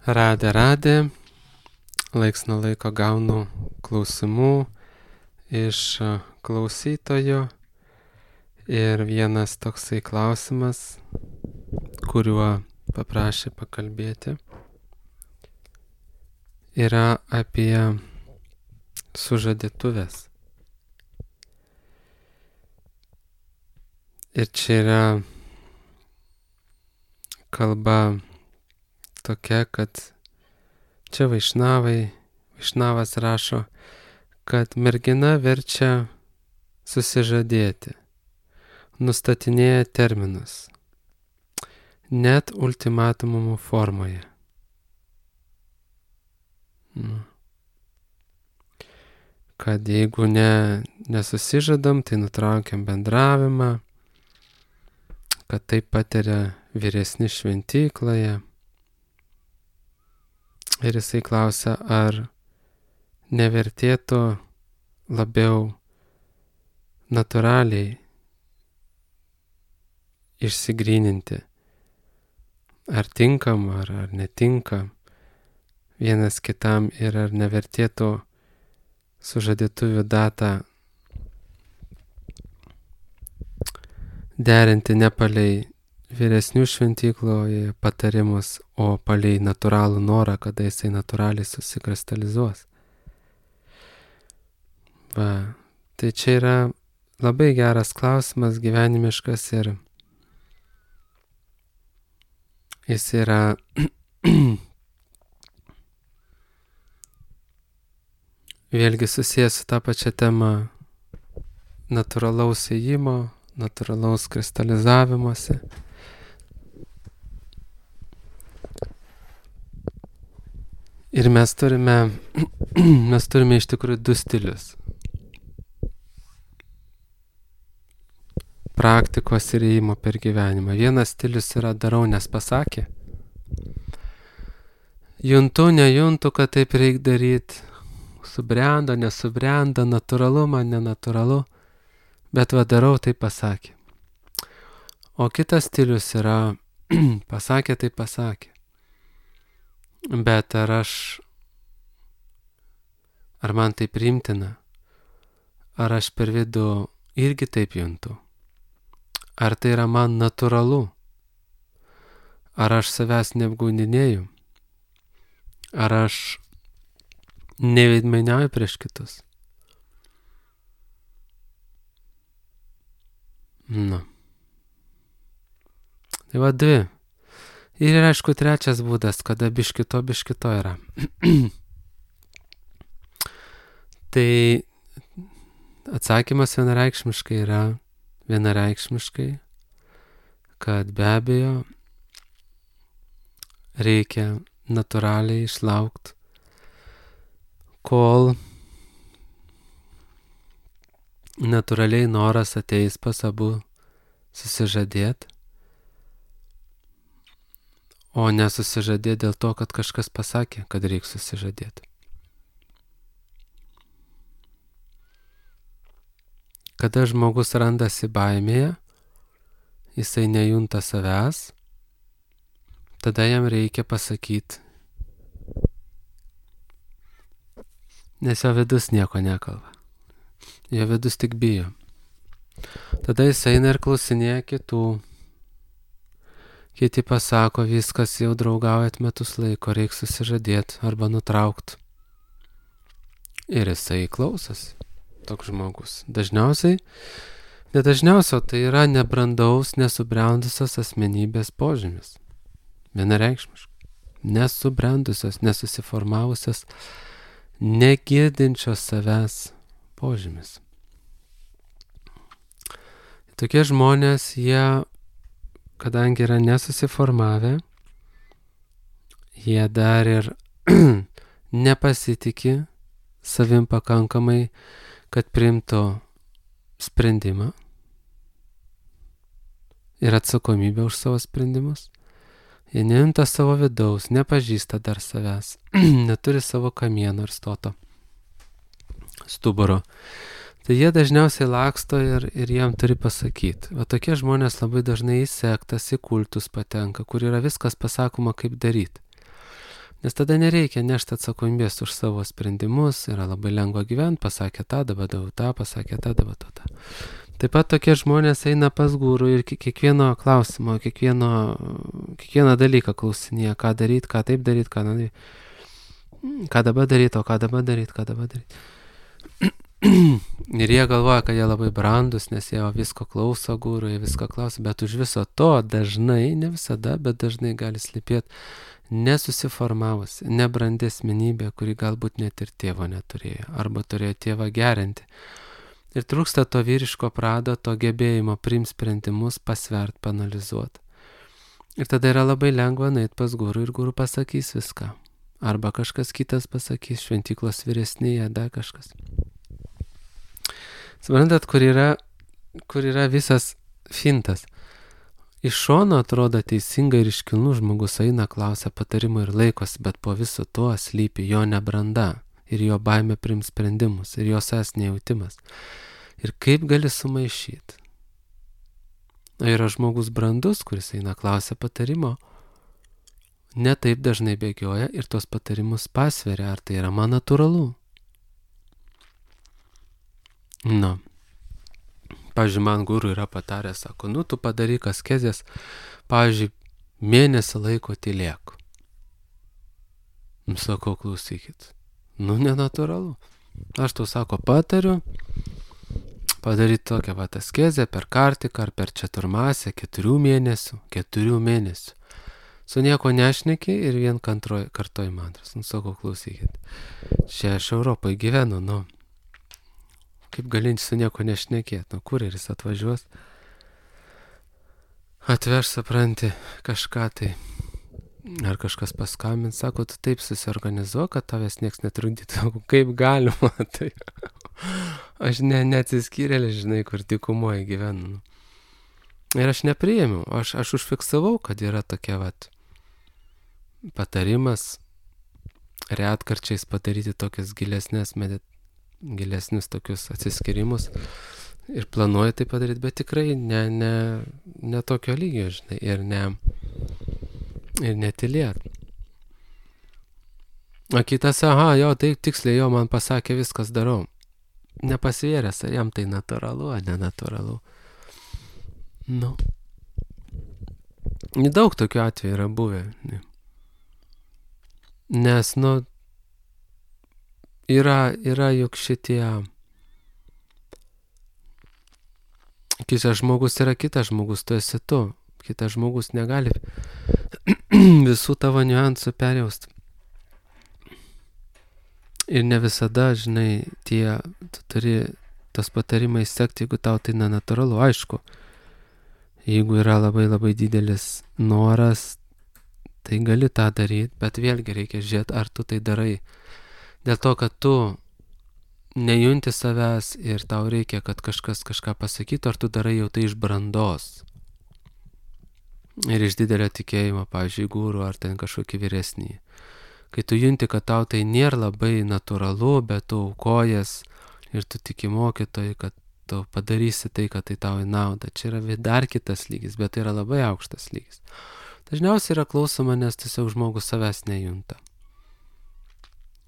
Radė, laiks nuo laiko gaunu klausimų iš klausytojų ir vienas toksai klausimas, kuriuo paprašė pakalbėti, yra apie sužadėtuves. Ir čia yra kalba tokia, kad čia Vaišnavas rašo, kad mergina verčia susižadėti, nustatinėja terminus, net ultimatumų formoje. Kad jeigu nesusižadam, tai nutraukiam bendravimą, kad tai patiria vyresni šventykloje. Ir jisai klausia, ar nevertėtų labiau natūraliai išsigryninti, ar tinkam, ar netinka vienas kitam ir ar nevertėtų sužadėtuvių datą derinti ne palei vyresnių šventykloje patarimus, o palei natūralų norą, kada jisai natūraliai susikristalizuos. Tai čia yra labai geras klausimas, gyvenimiškas ir jis yra vėlgi susijęs su tą pačią temą natūralaus ėjimo, natūralaus kristalizavimuose. Ir mes turime iš tikrųjų du stilius. Praktikos ir ėjimo per gyvenimą. Vienas stilius yra darau, nes pasakė. Juntu, nejuntu, kad taip reikia daryti. Subrendo, nesubrendo, natūralu man, nenatūralu. Bet darau, tai pasakė. O kitas stilius yra pasakė, tai pasakė. Bet ar man tai priimtina? Ar aš per vidų irgi taip juntu? Ar tai yra man natūralu? Ar aš savęs neapgaudinėju? Ar aš neveidmainiauju prieš kitus? Tai dvi. Ir aišku, trečias būdas, kada biškito yra. Tai atsakymas vienareikšmiškai yra kad be abejo reikia natūraliai išlaukti, kol natūraliai noras ateis pas abu susižadėti, o nesusižadėti dėl to, kad kažkas pasakė, kad reikia susižadėti. Kada žmogus randasi baimėje, jisai nejunta savęs, tada jam reikia pasakyti, nes jo vidus nieko nekalba. Jo vidus tik bijo. Tada jis eina ir klausinėja kitų. Kiti pasako, viskas jau draugaujat metus laiko, reikia susižadėti arba nutraukti. Ir jisai klausosi, toks žmogus. Dažniausiai, tai yra nebrandaus, nesubrendusios asmenybės požymis. Vienareikšmiškai. Nesubrendusios, nesusiformavusios, negirdinčios savęs požymis. Tokie žmonės, jie, kadangi yra nesusiformavę, jie dar ir nepasitikė savim pakankamai, kad priimtų sprendimą ir atsakomybę už savo sprendimus. Jie nejunta savo vidaus, nepažįsta dar savęs, neturi savo kamieno ir stoto stuburo. Tai jie dažniausiai laksto ir jam turi pasakyti. O tokie žmonės labai dažnai į sektas, į kultus patenka, kur yra viskas pasakoma, kaip daryti. Nes tada nereikia nešti atsakomybės už savo sprendimus, yra labai lengva gyventi, pasakė tą, dabar darau tą, pasakė tą, dabar tą. Taip pat tokie žmonės eina pas gurų ir kiekvieno klausimo, kiekvieną dalyką klausinėja, ką daryti, ką taip daryti, ką nedaryti, ką dabar daryti, o ką dabar daryti, ką dabar daryti. Ir jie galvoja, kad jie labai brandus, nes jie visko klauso gurų, jie visko klauso, bet už viso to dažnai, ne visada, bet dažnai gali slypėti nesusiformavusi, nebrandi asmenybė, kuri galbūt net ir tėvo neturėjo, arba turėjo tėvą gerinti. Ir trūksta to vyriško prado, to gebėjimo priimti sprendimus, pasvert, panalizuoti. Ir tada yra labai lengva nueiti pas gurų ir gurų pasakys viską. Arba kažkas kitas pasakys, šventyklos vyresnėje, dar kažkas. Suprantat, kur yra visas fintas. Iš šono atrodo teisingai ir iškilnų žmogus eina, klausia patarimų ir laikosi, bet po viso to slypi jo nebranda ir jo baimė priimti sprendimus ir jo savęs nejautimas. Ir kaip gali sumaišyti? Yra žmogus brandus, kuris eina, klausia patarimo, ne taip dažnai bėgioja ir tos patarimus pasveria, ar tai yra man natūralu. Pavyzdžiui, man guru yra pataręs, sako, tu padaryk askezės, pavyzdžiui, mėnesį laiko tylėk. Sakau, klausykit, nenatūralu. Aš tau, sako, patariu padaryti tokią askezę per kartiką ar per četurmasę 4 mėnesių. Su nieko nešneki ir vien kartoj mantras. Sakau, klausykit, čia aš Europoje gyvenu, kaip galinti su nieko nešnekėti, kureris atvažiuos, atveš, supranti, kažką tai, ar kažkas paskambins, sako, tu taip susiorganizuok, kad tavęs nieks netrukdytų, kaip galima, tai aš neatsiskyrėlė, žinai, kur dykumoje gyvenu. Ir aš nepriėmiau, aš užfiksavau, kad yra tokia patarimas retkarčiais padaryti tokias gilesnius tokius atsiskyrimus ir planuoju tai padaryti, bet tikrai ne tokio lygio, žinai, ir netylėt. O kitas, tai tiksliai man pasakė, viskas darau. Nepasvėręs, ar jam tai natūralu, ar nenatūralu. Daug tokių atvejų yra buvę. Nes, yra juk šitie, kitas žmogus yra kitas žmogus, tu esi tu. Kitas žmogus negali visų tavo niuansų perjausti. Ir ne visada, žinai, tu turi tas patarimais sekti, jeigu tau tai nenatūralu. Aišku, jeigu yra labai labai didelis noras, tai gali tą daryti, bet vėlgi reikia žiūrėti, ar tu tai darai. Dėl to, kad tu nejunti savęs ir tau reikia, kad kažkas kažką pasakytų, ar tu darai jau tai iš brandos. Ir iš didelio tikėjimo, pavyzdžiui, guru ar ten kažkokį vyresnį. Kai tu junti, kad tau tai nėra labai natūralu, bet tu aukojas ir tu tiki mokytojai, kad tu padarysi tai, kad tai tau į naudą. Čia yra dar kitas lygis, bet tai yra labai aukštas lygis. Dažniausiai yra klausoma, nes tiesiog žmogus savęs nejunta.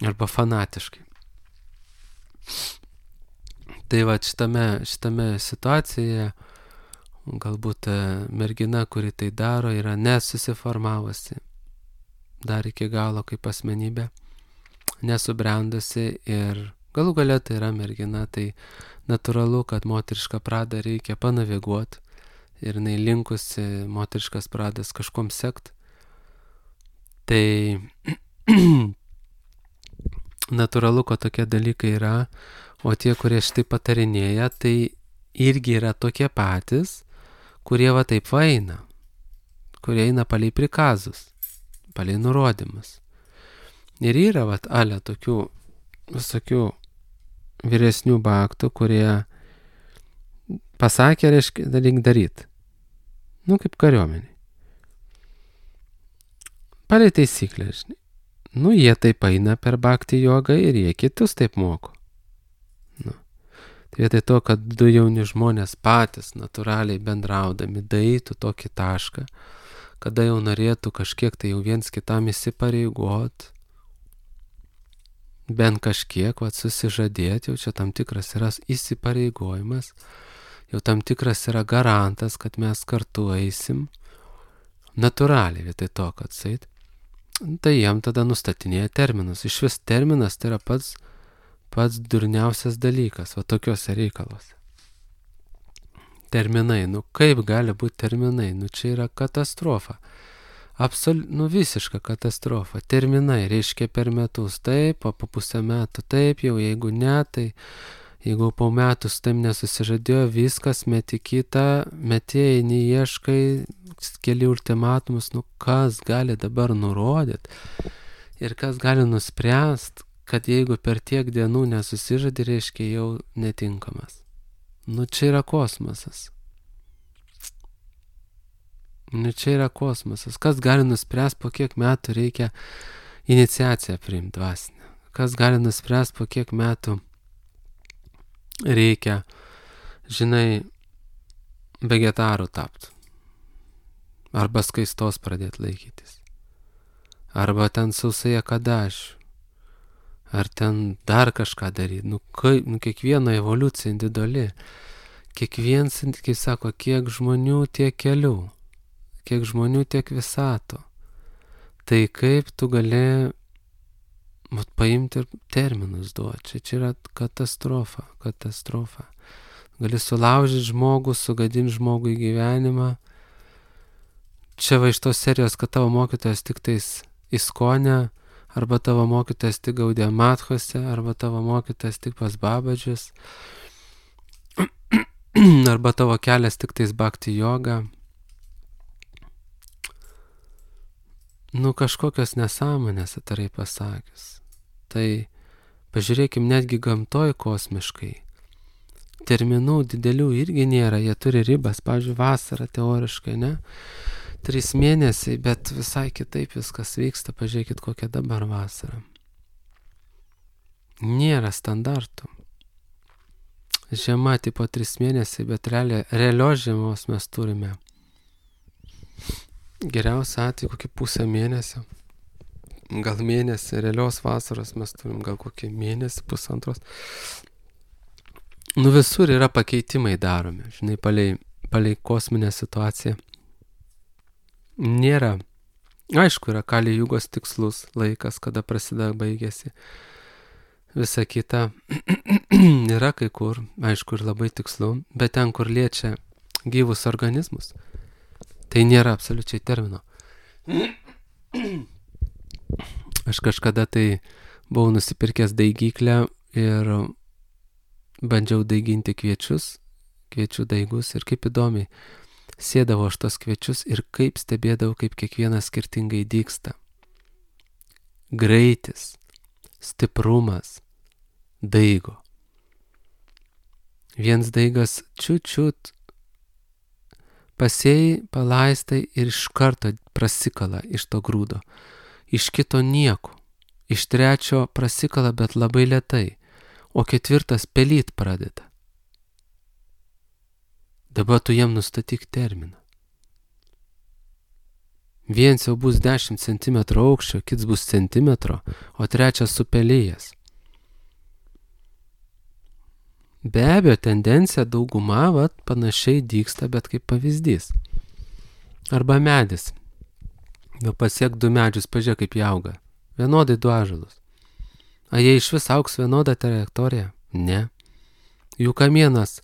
Arba fanatiškai. Tai šitame situacijoje galbūt mergina, kuri tai daro, yra nesusiformavusi dar iki galo kaip asmenybė, nesubrendusi ir galų gale tai yra mergina, tai natūralu, kad moterišką pradą reikia panaviguoti ir jinai linkusi moteriškas pradas kažkom sekt. Tai natūralu, kad tokie dalykai yra, o tie, kurie šitai patarinėja, tai irgi yra tokie patys, kurie taip eina, kurie eina palei prikazus, palei nurodymus. Ir yra tokių visokių vyresnių baktų, kurie pasakė, reiškia, dalyk daryti. Kaip kariuomeniai. Palei taisyklę, žinai. Jie taip eina per bhakti jogą ir jie kitus taip moko. Tai vietoj to, kad du jauni žmonės patys natūraliai bendraudami daeitų tokį tašką, kada jau norėtų kažkiek tai jau viens kitam įsipareigot, bent kažkiek, susižadėti, jau čia tam tikras yra įsipareigojimas, jau tam tikras yra garantas, kad mes kartu eisim, natūraliai vietoj to, kad sait, tai jam tada nustatinėja terminus. Iš vis terminas tai yra pats durniausias dalykas, va tokiuose reikaluose. Terminai, kaip gali būti terminai, čia yra katastrofa. Visiška katastrofa. Terminai reiškia per metus taip, o po pusę metų taip, jau jeigu ne, tai jeigu po metų su tam nesusižadėjo, viskas, meti kitą, metėjai, neieškai, keli ultimatumus, kas gali dabar nurodyti ir kas gali nuspręst, kad jeigu per tiek dienų nesusižadė, reiškia jau netinkamas. Čia yra kosmosas. Čia yra kosmosas. Kas gali nuspręst, po kiek metų reikia iniciaciją priimti dvasinę? Kas gali nuspręst, po kiek metų reikia, vegetarų tapti? Arba skaistos pradėti laikytis. Arba ten sausai akadašių. Ar ten dar kažką daryti. Kiekviena evoliucija individuali. Kiekvienas, kaip sako, kiek žmonių, tiek kelių. Kiek žmonių, tiek visato. Tai kaip tu gali paimti ir terminus duoti. Čia yra katastrofa. Gali sulaužyti žmogų, sugadinti žmogų į gyvenimą. Čia va iš tos serijos, kad tavo mokytojas tik tais Iskone, arba tavo mokytojas tik Gaudiya Matchose, arba tavo mokytojas tik pas Babadžius, arba tavo kelias tik tais Bhakti Yoga. Kažkokios nesąmonės, atvirai pasakius. Tai pažiūrėkim, netgi gamtoj kosmiškai. Terminų didelių irgi nėra, jie turi ribas, pavyzdžiui, vasara teoriškai, ne? 3 mėnesiai, bet visai kitaip viskas vyksta, pažiūrėkit, kokia dabar vasara. Nėra standartų. Žiema tipo 3 mėnesiai, bet realios žiemos mes turime. Geriausia atveju kokį pusę mėnesio. Gal mėnesį, realios vasaros mes turim gal kokį mėnesį, pusantros. Visur yra pakeitimai daromi, palei kosminę situaciją. Nėra. Aišku, yra Kali Jugos tikslus laikas, kada prasideda, baigėsi. Visa kita yra kai kur, aišku, ir labai tikslu, bet ten, kur liečia gyvus organizmus, tai nėra absoliučiai termino. Aš kažkada tai buvau nusipirkęs daigyklę ir bandžiau daiginti kviečių daigus ir kaip įdomiai. Sėdavo aš tos kviečius ir kaip stebėdavau, kaip kiekvienas skirtingai dygsta. Greitis, stiprumas daigo. Viens daigas čiut pasėjai, palaistai ir iš karto prasikala iš to grūdo. Iš kito nieko. Iš trečio prasikala, bet labai lėtai. O 4 pelyt pradeda. Dabar tu jam nustatyk terminą. Viens jau bus 10 cm aukščio, kits bus centimetro, o 3 supelėjęs. Be abejo, tendencija dauguma panašiai dygsta, bet kaip pavyzdys. Arba medis. Jau pasiek 2 medžius, pažiūrėk kaip jie auga. Vienodai 2 ąžuolus. Ar jie iš vis augs vienodą trajektoriją? Ne. Jų kamienas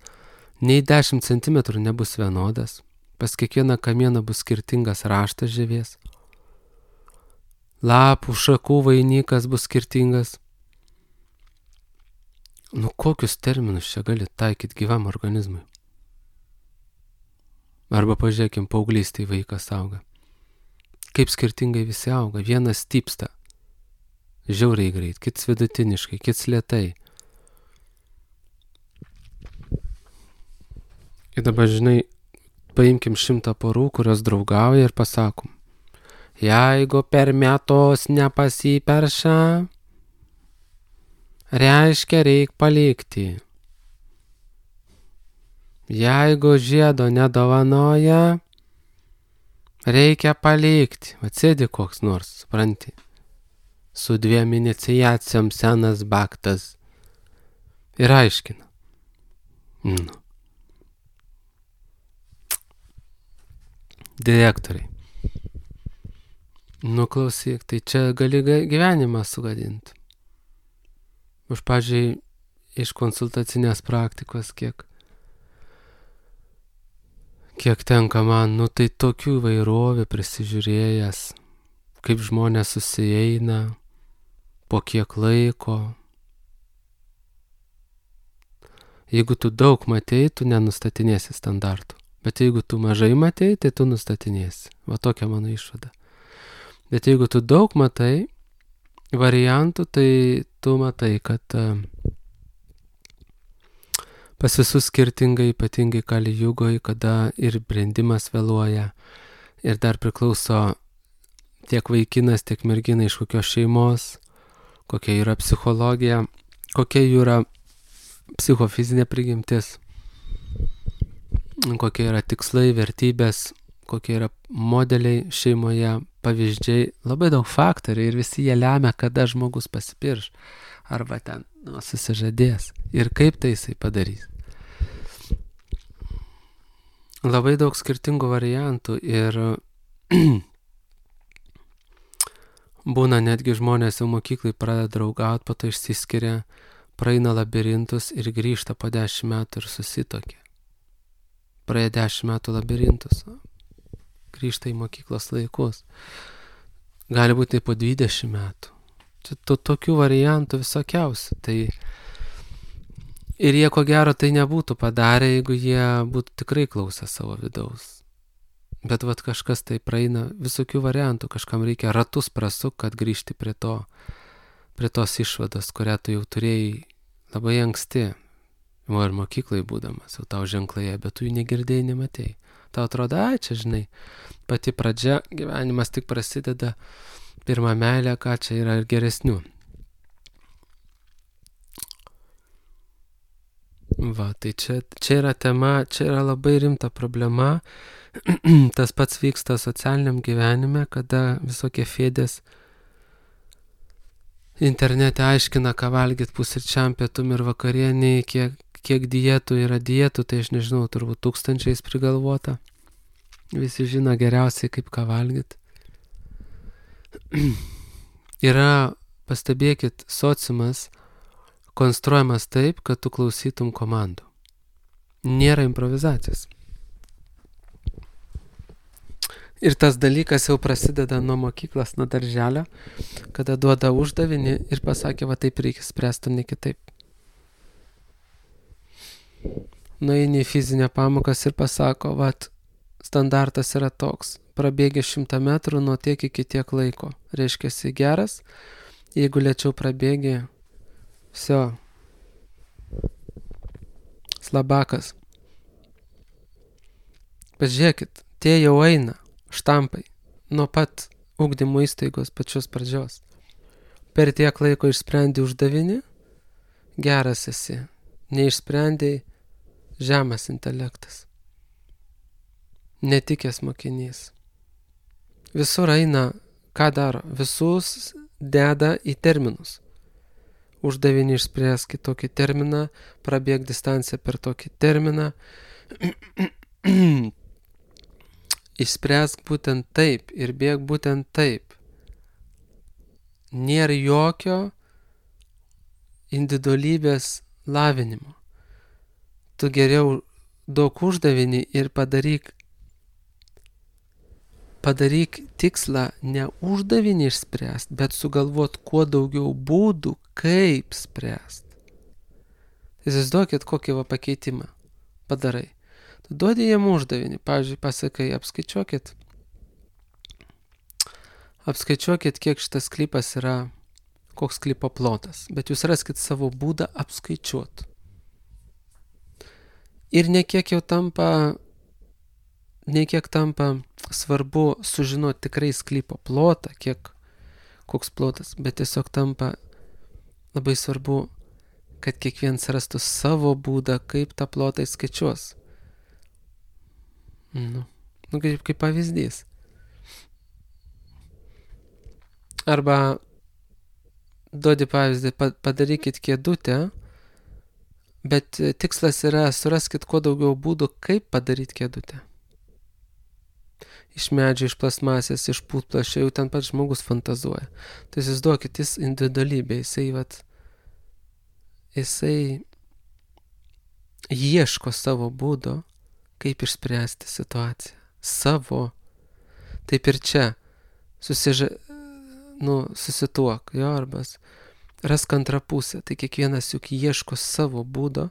nei 10 cm nebus vienodas. Pas kiekvieną kamieną bus skirtingas raštas žievės. Lapų, šakų vainikas bus skirtingas. Kokius terminus čia gali taikyti gyvam organizmui? Arba pažiūrėkim, paauglystėje vaikas auga. Kaip skirtingai visi auga. Vienas stypsta žiauriai greit, kits vidutiniškai, kits lėtai. Ir dabar, paimkim 100 porų, kurios draugauja ir pasakom, jeigu per metus nepasiperša, reiškia reik palikti. Jeigu žiedo nedovanoja, Reikia palikti. Atsėdi koks nors, supranti. Su 2 iniciacijom senas baktas. Ir aiškina. Nu. Direktoriai. Nu klausyk, tai čia gali gyvenimą sugadinti. Aš, pavyzdžiui, iš konsultacinės praktikos, kiek tenka man, nu tai tokių įvairovė prisižiūrėjęs, kaip žmonės susieina, po kiek laiko. Jeigu tu daug matei, tu nenustatinėsi standartų. Bet jeigu tu mažai matei, tai tu nustatinėsi. Va tokia mano išvada. Bet jeigu tu daug matai variantų, tai tu matai, kad pas visus skirtingai, ypatingai Kali Jugoj, kada ir brendimas vėluoja, ir dar priklauso tiek vaikinas, tiek mergina iš kokios šeimos, kokia yra psichologija, kokia jų yra psichofizinė prigimtis, kokie yra tikslai, vertybės, kokie yra modeliai šeimoje, pavyzdžiai, labai daug faktorių ir visi jie lemia, kada žmogus pasipirš arba ten susižadės ir kaip tai jisai padarys. Labai daug skirtingų variantų ir būna netgi žmonės jau mokyklai pradeda draugauti, po to išsiskiria, praeina labirintus ir grįžta po 10 metų ir susitokia. Praėjo 10 metų labirintus, grįžta į mokyklos laikus. Gali būti po 20 metų. Čia tokių variantų visokiausių. Tai ir jie ko gero tai nebūtų padarę, jeigu jie būtų tikrai klausę savo vidaus. Bet vat kažkas tai praeina visokių variantų, kažkam reikia ratus prasuk, kad grįžti prie tos išvados, kurią tu jau turėjai labai anksti. O ir mokyklai būdamas, jau tau ženklai, bet tu jų negirdėjai, nematėjai. Tau atrodo, čia žinai, pati pradžia, gyvenimas tik prasideda, pirmą meilę, ką čia yra ir geresnių. Va, tai čia yra tema, čia yra labai rimta problema. Tas pats vyksta socialiniam gyvenime, kada visokie fėdės internete aiškina, ką valgyt pusryčiam, pietum ir vakarieniai, kiek dietų yra dietų, tai aš nežinau, turbūt 1000 prigalvota. Visi žino geriausiai, kaip ką valgyt. Yra, pastebėkit, sociumas konstruojamas taip, kad tu klausytum komandų. Nėra improvizacijos. Ir tas dalykas jau prasideda nuo mokyklos, nuo darželio, kada duoda uždavinį ir pasakė, va taip reikia spręsti, ne kitaip. Nueini į fizinę pamokas ir pasako, va standartas yra toks, prabėgi 100 metrų nuo tiek iki tiek laiko. Reiškia, esi geras, jeigu lėčiau prabėgi, viso, slabakas. Pažiūrėkit, tie jau eina. Štampai, nuo pat ugdymo įstaigos pačios pradžios. Per tiek laiko išsprendi uždavinį, geras esi, neišsprendai, žemas intelektas, netikęs mokinys. Visur eina, ką daro, visus deda į terminus. Uždavinį išspręsk į tokį terminą, prabėg distanciją per tokį terminą, išspręsk būtent taip ir bėg būtent taip. Nėra jokio individualybės lavinimo. Tu geriau duok uždavinį ir padaryk tikslą ne uždavinį išspręst, bet sugalvot kuo daugiau būdų, kaip spręst. Įsivaizduokit, kokį pakeitimą padarai. Tu duodi jam uždavinį, pavyzdžiui, pasakai, apskaičiuokit, kiek šitas sklypas yra, koks sklypo plotas, bet jūs raskit savo būdą apskaičiuot. Ir nekiek tampa svarbu sužinoti tikrai sklypo plotą, koks plotas, bet tiesiog tampa labai svarbu, kad kiekvienas rastų savo būdą, kaip tą plotą įskaičiuos. Kaip pavyzdys. Arba duodi pavyzdį, padarykit kėdutę, bet tikslas yra suraskit kuo daugiau būdų, kaip padaryti kėdutę. Iš medžio, iš plasmasės, iš putplasčio, jau ten pats žmogus fantazuoja. Tai įsivaizduokit, jis individualybė, jisai ieško savo būdo, kaip išspręsti situaciją. Savo. Taip ir čia. Susituok, jo, arbas. Rask antrą pusę. Tai kiekvienas juk ieško savo būdo,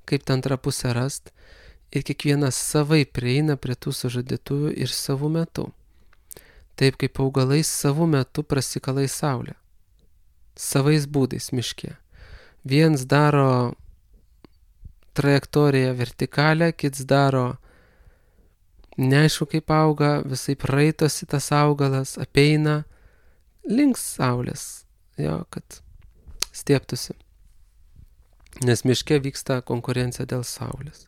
kaip tą antrą pusę rast. Ir kiekvienas savai prieina prie tų sužadėtuvių ir savų metų. Taip kaip augalai savų metų prasikalai saulę. Savais būdais miške. Viens daro trajektoriją vertikalę, kits daro neaišku kaip auga, visai praeitosi tas augalas, apeina link saulės, jo, kad stieptųsi. Nes miške vyksta konkurencija dėl saulės.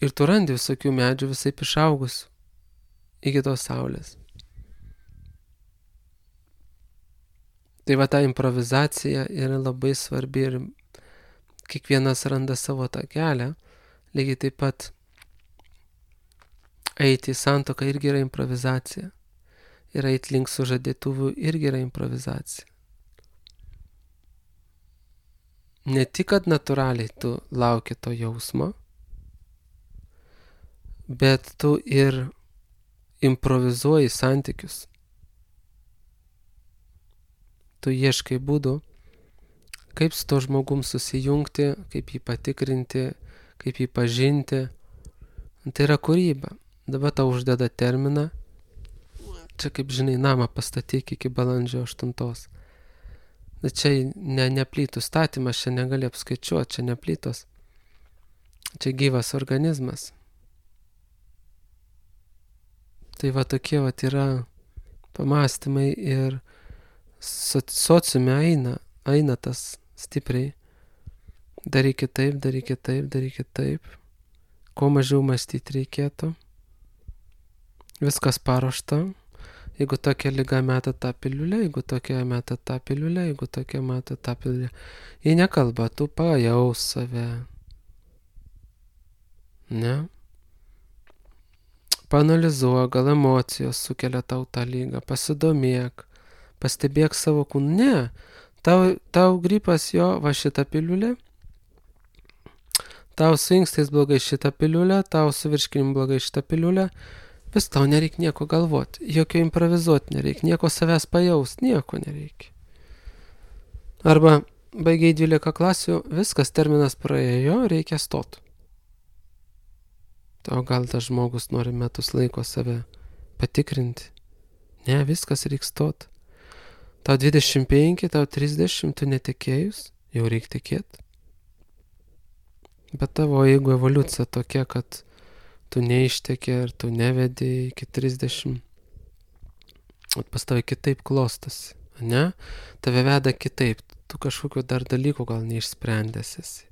Ir tu randi visokių medžių visai išaugusių iki tos saulės. Tai va ta improvizacija yra labai svarbi ir kiekvienas randa savo tą kelią. Lygiai taip pat eiti į santuoką irgi yra improvizacija. Ir eiti link sužadėtuvių irgi yra improvizacija. Ne tik, kad natūraliai tu lauki to jausmo, bet tu ir improvizuoji santykius. Tu ieškai būdų, kaip su to žmogum susijungti, kaip jį patikrinti, kaip jį pažinti. Tai yra kūryba. Dabar tau uždeda terminą. Čia, kaip žinai, namą pastatyk iki balandžio 8. Bet čia ne plytų statymas, čia negali apskaičiuoti, čia ne plytos. Čia gyvas organizmas. Tai va tokie va yra pamąstymai ir sociume eina tas stipriai. Darykit taip, darykit taip, darykit taip. Kuo mažiau mąstyti reikėtų. Viskas paruošta. Jeigu tokia liga meta tą piliulę, jeigu tokia meta tą piliulę, jeigu tokia meta tą piliulę. Jei nekalba, tu pajaus save. Ne? Paanalizuok, gal emocijos sukelia tau tą lygą, pasidomėk, pastebėk savo kūną. Ne, tau gripas jo, va šitą piliulę, tau su inkstais blogai šitą piliulę, tau su virškinimu blogai šitą piliulę, vis tau nereikia nieko galvoti, jokio improvizuoti nereikia, nieko savęs pajaust, nieko nereikia. Arba baigiai 12 klasių, viskas, terminas praėjo, reikia stot. O gal tas žmogus nori metus laiko save patikrinti? Ne, viskas reikia stot. Tau 25, tau 30, tu netekėjus, jau reikia tikėti. Bet tavo jeigu evoliucija tokia, kad tu neištekė ir tu nevedi iki 30, pas tave kitaip klostosi, ne? Tave veda kitaip, tu kažkokiu dar dalykų gal neišsprendęs esi.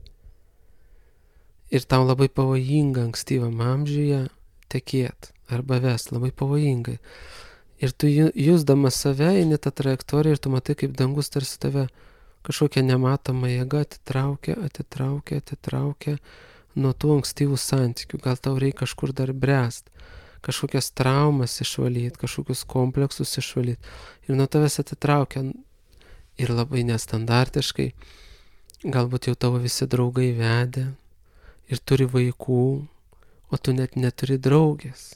Ir tau labai pavojinga ankstyvam amžiuje tekėt arba vest, labai pavojingai. Ir tu jusdamas save eini tą trajektoriją ir tu matai, kaip dangus tarsi tave kažkokia nematoma jėga atitraukia nuo tų ankstyvų santykių. Gal tau reikia kažkur dar bręst, kažkokias traumas išvalyti, kažkokius kompleksus išvalyti. Ir nuo tavęs atitraukia ir labai nestandartiškai. Galbūt jau tavo visi draugai vedė ir turi vaikų, o tu net neturi draugės.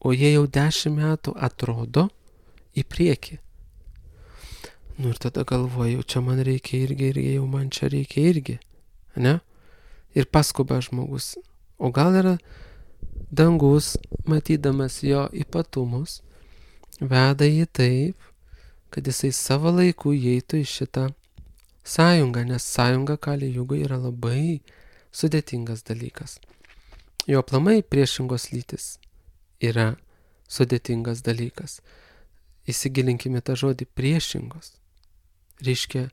O jie jau 10 metų atrodo į priekį. Ir tada galvoju, čia man reikia irgi, jau man čia reikia irgi. Ne? Ir paskuba žmogus. O gal yra dangus, matydamas jo ypatumus, veda jį taip, kad jisai savo laiku įeitų į šitą sąjungą, nes sąjunga Kali Jugai yra labai sudėtingas dalykas. Jo aplamai priešingos lytis yra sudėtingas dalykas. Įsigilinkime tą žodį priešingos. Reiškia,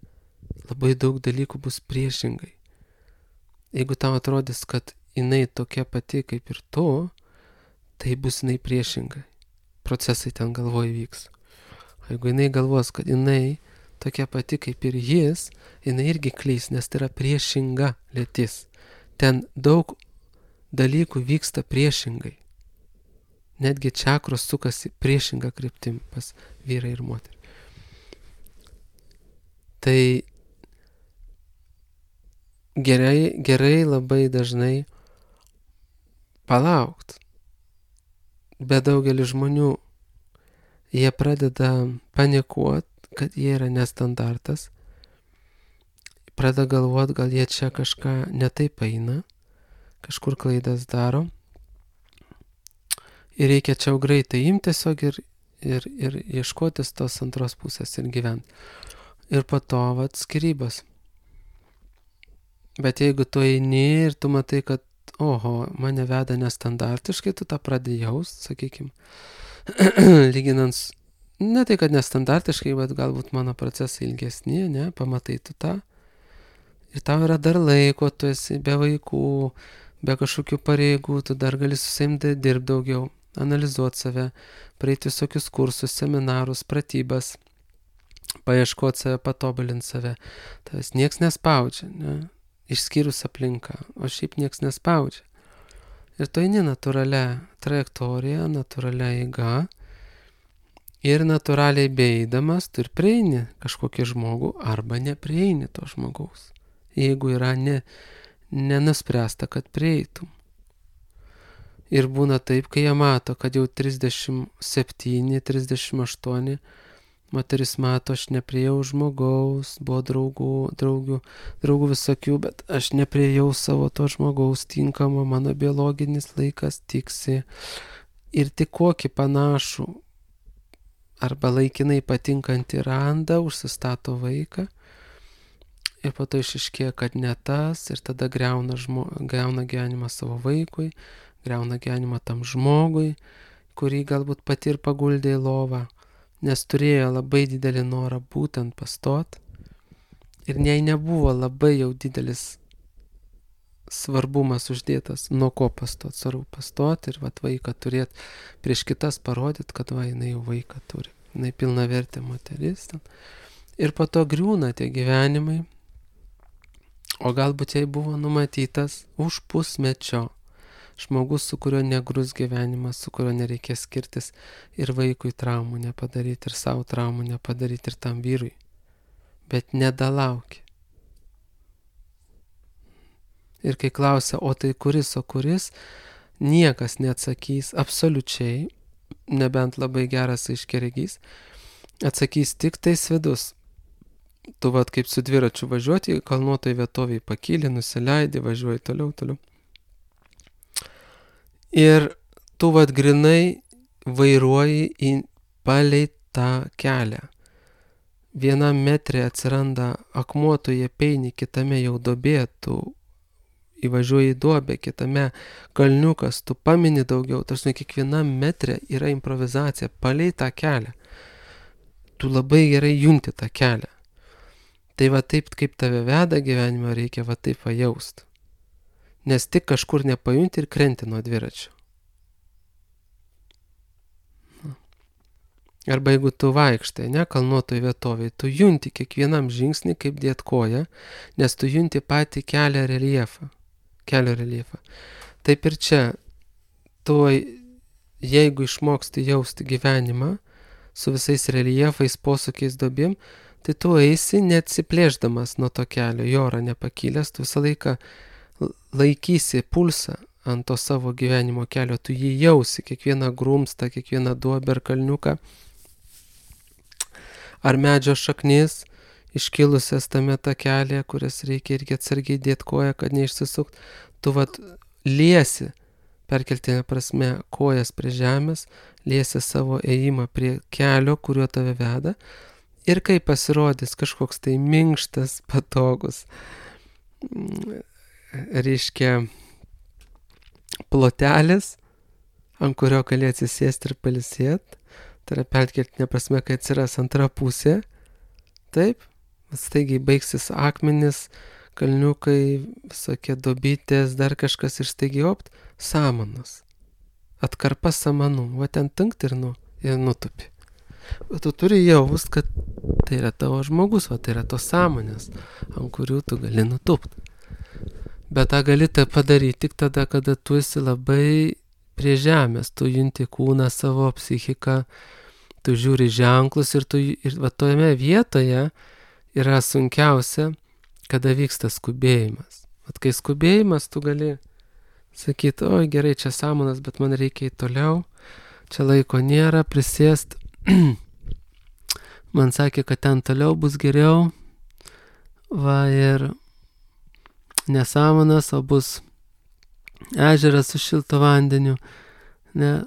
labai daug dalykų bus priešingai. Jeigu tau atrodys, kad jinai tokia pati kaip ir tu, tai bus jinai priešingai. procesai ten galvoj vyks. Jeigu jinai galvos, kad jinai tokia pati kaip ir jis, jinai irgi klys, nes tai yra priešinga lytis. Ten daug dalykų vyksta priešingai. Netgi čakros sukasi priešinga kryptim pas vyrą ir moterį. Tai gerai labai dažnai palaukt. Bet daugelis žmonių, jie pradeda panikuot, kad jie yra nestandartas. Pradeda galvot, gal jie čia kažką netaip eina, kažkur klaidas daro. Ir reikia čia greitai imti tiesiog ir ieškotis tos antros pusės ir gyventi. Ir po to skyrybos. Bet jeigu tu eini ir tu matai, kad oho, mane veda nestandartiškai, tu tą pradedi jaust, sakykim, lyginant, ne tai, kad nestandartiškai, bet galbūt mano procesai ilgesni, ne, pamatai tu tą. Ir tau yra dar laiko, tu esi be vaikų, be kažkokių pareigų, tu dar gali susiimti dirbti daugiau, analizuoti save, praeiti visokius kursus, seminarus, pratybas, paieškoti save, patobulinti save. Tavęs nieks nespaudžia, ne? Išskyrus aplinką, o šiaip nieks nespaudžia. Ir tu eini natūralia trajektorija, natūralia eiga ir natūraliai beeidamas tu ir prieini kažkokį žmogų arba neprieini to žmogaus. Jeigu yra nenuspręsta, kad prieitum. Ir būna taip, kai jie mato, kad jau 37, 38, moteris mato, aš nepriejau žmogaus, buvo draugų visokių, bet aš nepriejau savo to žmogaus tinkamo, mano biologinis laikas tiksi. Ir tik kokį panašų arba laikinai patinkantį randa, užsistato vaiką. Ir po to išaiškėja, kad ne tas, ir tada griauna gyvenimą savo vaikui, griauna gyvenimą tam žmogui, kurį galbūt pati ir paguldė į lovą, nes turėjo labai didelį norą būtent pastot. Ir jei nebuvo labai jau didelis svarbumas uždėtas, nuo ko pastot, svarbu pastot ir vaiką turėti prieš kitas parodyti, kad jinai jau vaiką turi, jinai pilnavertė moteris. Ir po to griūna tie gyvenimai. O galbūt jai buvo numatytas už pusmečio žmogus, su kuriuo negrus gyvenimas, su kuriuo nereikės skirtis ir vaikui traumų nepadaryti, ir savo traumų nepadaryti, ir tam vyrui. Bet nedalauki. Ir kai klausia, o tai kuris, niekas neatsakys absoliučiai, nebent labai geras aiškiaregys, atsakys tik tais vidus. Tu kaip su dviračiu važiuoti, kalnuotoj vietoviai pakyli, nusileidi, važiuoji toliau. Ir tu grinai vairuoji palei tą kelią. Vienam metre atsiranda akmuo, tu jį peini, kitame jau duobė, tu įvažiuoji į duobę, kitame kalniukas, tu pamini daugiau, tarsi kiekvienam metre yra improvizacija palei tą kelią. Tu labai gerai junti tą kelią. Tai taip, kaip tave veda gyvenimą, reikia taip jaust. Nes tik kažkur nepajunti ir krenti nuo dviračio. Arba jeigu tu vaikštai, kalnuotoj vietovėj, tu junti kiekvienam žingsnį, kaip dėt koją, nes tu junti patį kelio reljefą. Taip ir čia, tu jeigu išmoksti jausti gyvenimą su visais reljefais, posūkiais, duobėm, tai tu eisi neatsiplėšdamas nuo to kelio, į orą nepakilęs, tu visą laiką laikysi pulsą ant to savo gyvenimo kelio, tu jį jausi, kiekvieną grumstą, kiekvieną duobę ar kalniuką, ar medžio šaknis iškilusias tame takelėje, kurias reikia irgi atsargiai dėti koją, kad neišsisukt. Tu liesi, perkeltinė prasme, kojas prie žemės, liesi savo ėjimą prie kelio, kuriuo tave veda. Ir kai pasirodys kažkoks tai minkštas, patogus, reiškia plotelis, ant kurio gali atsisėsti ir pailsėti, tai yra perkeltinė prasme, kai atsiras antra pusė, taip, staigiai baigsis akmenis, kalniukai, visokie duobytės, dar kažkas ir staigiai samanos, atkarpa samanų, ten tinkt ir ir nutupi. Bet tu turi jaust, kad tai yra tavo žmogus, tai yra tos sąmonės, ant kurių tu gali nutupti. Bet tą gali tai padaryti tik tada, kada tu esi labai prie žemės, tu junti kūną, savo psichiką, tu žiūri ženklus ir tojame vietoje yra sunkiausia, kada vyksta skubėjimas. Kai skubėjimas, tu gali sakyti, oi gerai, čia sąmonas, bet man reikia į toliau, čia laiko nėra, prisėst. Man sakė, kad ten toliau bus geriau, ir nesąmonas, o bus ežeras su šilto vandeniu. Ne?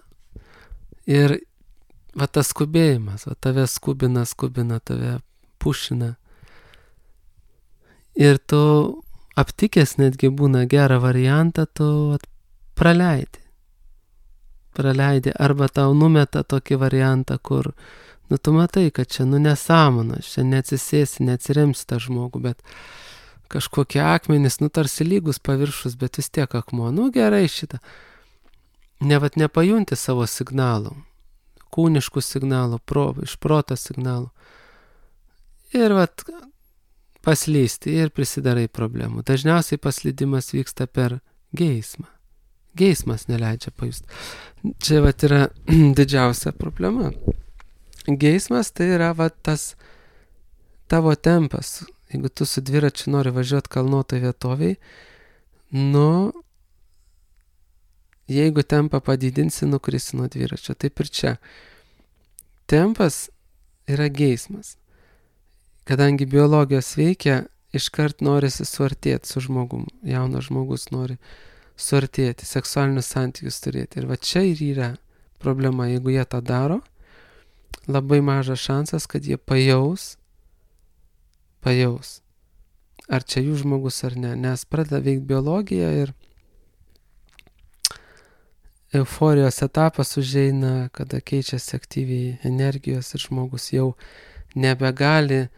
Ir tas skubėjimas, tave skubina, tave pušina. Ir tu aptikęs netgi būna gerą variantą, tu praleidi. Arba tau numeta tokį variantą, kur tu matai, kad čia nesąmonas, čia neatsisėsi, neatsiremsi tą žmogų, bet kažkokie akmenys, tarsi lygus paviršus, bet vis tiek akmuo. Gerai šitą. Nepajunti savo signalų, kūniškų signalų, iš proto signalų. Ir paslysti ir prisidarai problemų. Dažniausiai paslydimas vyksta per geismą. Geismas neleidžia pajusti. Čia yra didžiausia problema. Geismas tai yra tas tavo tempas. Jeigu tu su dviračiu nori važiuoti kalnuotoj vietoviai, jeigu tempą padidinsi, nukrisi nuo dviračio. Taip ir čia. Tempas yra geismas. Kadangi biologijos veikia, iškart norisi suartėti su žmogum. Jaunas žmogus nori suartėti, seksualinius santykius turėti. Ir čia ir yra problema. Jeigu jie tą daro, labai mažas šansas, kad jie pajaus, ar čia jų žmogus ar ne. Nes pradeda veikti biologija ir euforijos etapas užeina, kada keičiasi aktyviai energijos ir žmogus jau nebegali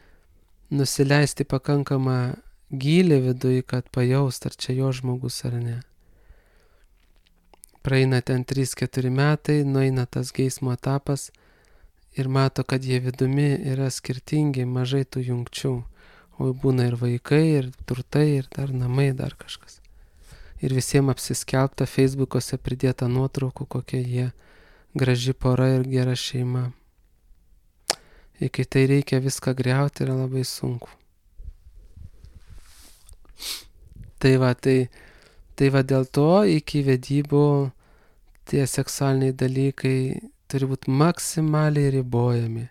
nusileisti pakankamą gylį viduje, kad pajaust, ar čia jo žmogus ar ne. Praeina ten 3-4 metai, nueina tas geismo etapas ir mato, kad jie vidumi yra skirtingi, mažai tų jungčių. O būna ir vaikai, ir turtai, ir dar namai, dar kažkas. Ir visiems apsiskelbta, Facebook'ose pridėta nuotraukų, kokie jie graži pora ir gera šeima. Ir kai tai reikia viską griauti, yra labai sunku. Tai dėl to iki vedybų tie seksualiniai dalykai turi būti maksimaliai ribojami.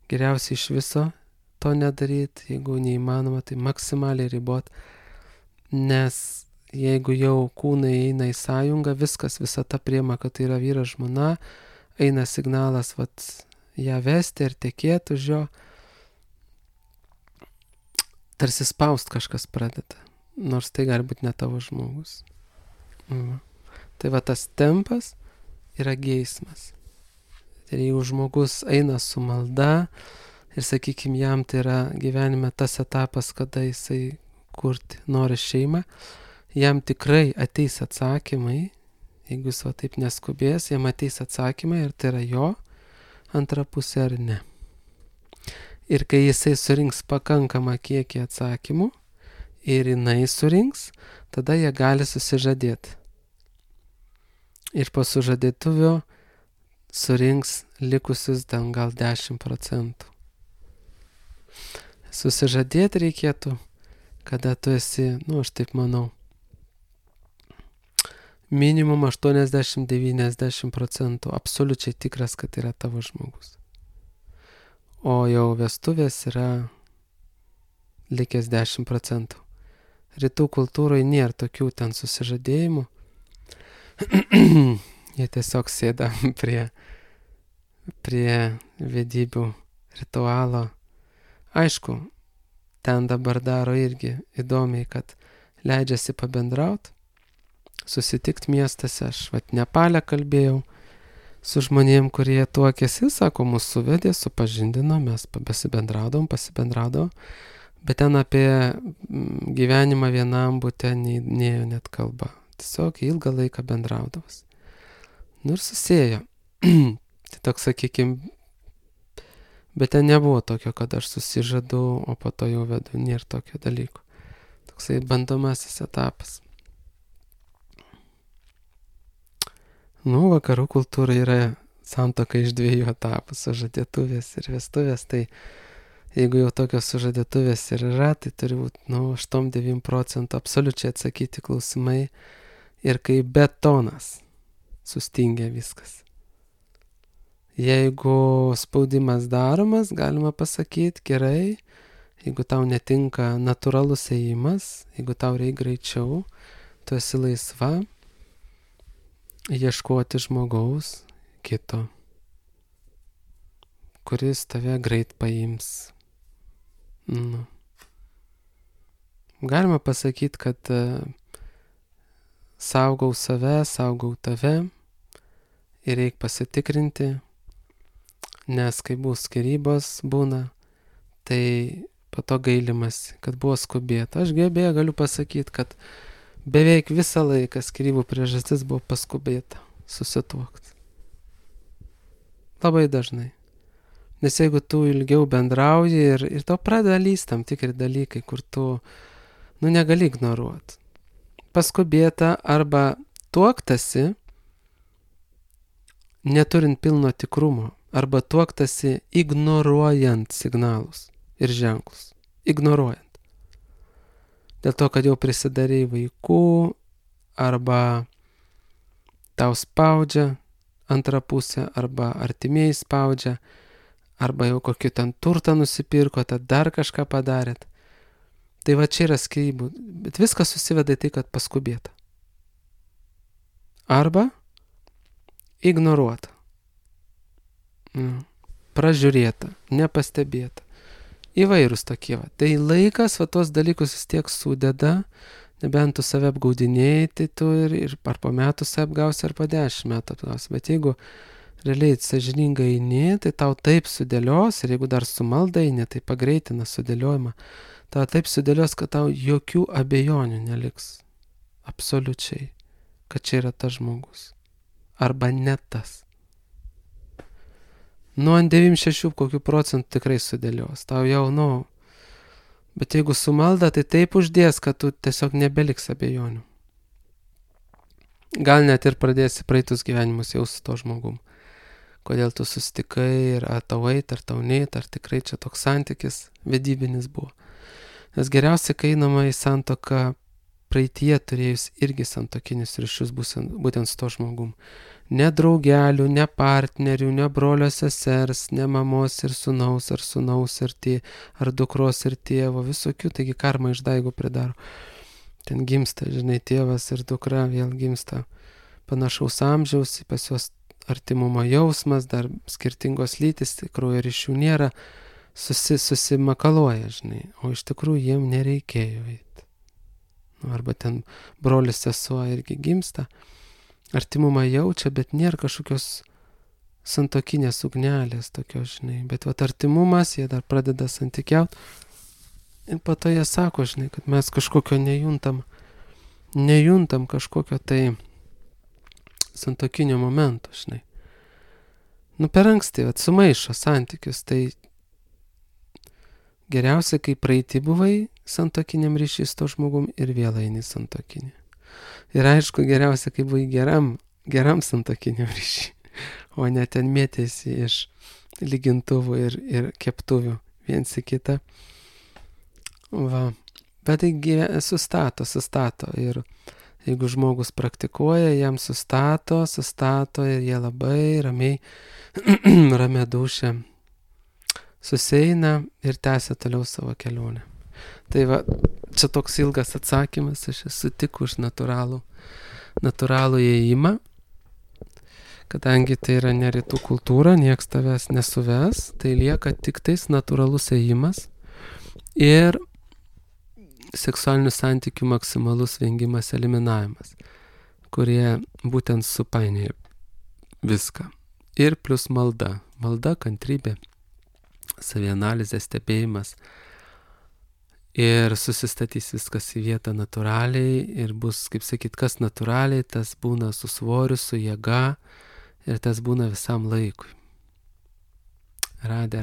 Geriausiai iš viso to nedaryti, jeigu neįmanoma, tai maksimaliai ribot, nes jeigu jau kūnai eina į sąjungą, visa ta priema, kad tai yra vyras žmona, eina signalas ją vesti ir tekėti už jo, tarsi spaust kažkas pradeda, nors tai gali būti ne tavo žmogus. Tai tas tempas yra geismas. Ir jeigu žmogus eina su malda ir, sakykime, jam tai yra gyvenime tas etapas, kada jisai kurti nori šeimą, jam tikrai ateis atsakymai, jeigu jis taip neskubės, jam ateis atsakymai, ir tai yra jo antra pusė ar ne. Ir kai jisai surinks pakankamą kiekį atsakymų ir jinai surinks, tada jie gali susižadėti. Ir po sužadėtuvio surinks likusius gal 10%. Susižadėti reikėtų, kada tu esi, aš taip manau, minimum 80-90% absoliučiai tikras, kad yra tavo žmogus. O jau vestuvės yra likęs 10%. Rytų kultūroje nėra tokių ten susižadėjimų. Jie tiesiog sėda prie vedybių ritualo. Aišku, ten dabar daro irgi įdomiai, kad leidžiasi pabendrauti, susitikti miestuose. Aš Nepale kalbėjau su žmonėm, kurie tuokėsi, sako, mus suvedė, supažindino, mes pasibendraudavom, bet ten apie gyvenimą vienam bute nėjo net kalba. Tiesiog ilgą laiką bendraudavas. Ir susėjo. Tai toks, sakykime, bet ten nebuvo tokio, kad aš susižadu, o po to jau vedu, nėra tokio dalyko. Toksai bandomasis etapas. Vakarų kultūra yra santuoka iš 2 etapų - sužadėtuvės ir vestuvės. Tai jeigu jau tokios sužadėtuvės ir yra, tai turi būti 8-9% absoliučiai atsakyti klausimai ir kaip betonas sustingia viskas. Jeigu spaudimas daromas, galima pasakyti gerai, jeigu tau netinka natūralus ėjimas, jeigu tau reikia greičiau, tu esi laisva ieškoti žmogaus kito, kuris tave greit paims. Galima pasakyti, kad saugau save, saugau tave ir reikia pasitikrinti, nes kai bus skyrybos būna, tai po to gailimas, kad buvo skubėta. Aš galiu pasakyti, kad beveik visą laiką skyrybų priežastis buvo paskubėta susituokti. Labai dažnai. Nes jeigu tu ilgiau bendrauji ir to pradeda lyst tam tikri dalykai, kur tu negali ignoruoti. Paskubėta arba tuoktasi, neturint pilno tikrumo, arba tuoktasi ignoruojant signalus ir ženklus. Ignoruojant. Dėl to, kad jau prisidarei vaikų, arba tau spaudžia antrą pusę, arba artimieji spaudžia, arba jau kokį ten turtą nusipirko, tad dar kažką padarėt. Tai va čia yra skyrybų, bet viskas susiveda į tai, kad paskubėta. Arba ignoruota, pražiūrėta, nepastebėta. Įvairūs tokie. Tai laikas tos dalykus vis tiek sudeda, nebent tu save apgaudinėjai, tai tu ir ar po metų save apgausi, ar po 10 metų apgausi. Bet jeigu realiai sąžiningai eini, tai tau taip sudėlios, ir jeigu dar su malda eini, tai pagreitina sudėliojimą. Tau taip sudėlios, kad tau jokių abejonių neliks. Absoliučiai. Kad čia yra tas žmogus. Arba ne tas. Ant 96 kokių procentų tikrai sudėlios. Tau jau, bet jeigu su malda, tai taip uždės, kad tu tiesiog nebeliks abejonių. Gal net ir pradėsi praeitus gyvenimus jau su to žmogum. Kodėl tu susitikai, ar tau eit, ar tau neit, ar tikrai čia toks santykis vedybinis buvo. Nes geriausia, kai einama į santuoką praeitie turėjus irgi santokinius ryšius būtent su to žmogum. Ne draugelių, ne partnerių, ne brolio sesers, ne mamos ir sūnaus, ar sūnaus ar dukros ir tėvo, visokių, taigi karma išdaigų pridaro. Ten gimsta, tėvas ir dukra vėl gimsta panašaus amžiaus, pas juos artimumo jausmas, dar skirtingos lytis, kraujo ryšių nėra, susimakaluoja, o iš tikrųjų jiem nereikėjo eiti. Arba ten brolis sesuo irgi gimsta, artimumą jaučia, bet nėra kažkokios santuokinės ugnelės tokios, bet artimumas, jie dar pradeda santykiauti ir po to jie sako, kad mes kažkokio nejuntam kažkokio tai santuokinio momento, per anksti, sumaišo santykius, tai geriausia, kai praeitį buvai santuokiniam ryšį su to žmogum ir vėl eini santuokinį. Ir aišku, geriausia, kai buvai geram santuokiniam ryšį, o ne ten mėtėsi iš lygintuvų ir keptuvių viens į kitą. Bet tai sustato. Ir jeigu žmogus praktikuoja, jam sustato ir jie labai ramiai, ramia dūšia susieina ir tęsia toliau savo kelionę. Tai čia toks ilgas atsakymas, aš esu tik už natūralų įėjimą, kadangi tai yra ne rytų kultūra, nieks tavęs nesuves, tai lieka tik tais natūralus įėjimas ir seksualinių santykių maksimalus vengimas, eliminavimas, kurie būtent supainioja viską. Ir plus malda, kantrybė, savianalizė, stebėjimas. Ir susistatys viskas į vietą natūraliai ir bus, kaip sakyt, kas natūraliai, tas būna su svoriu, su jėga ir tas būna visam laikui. Radė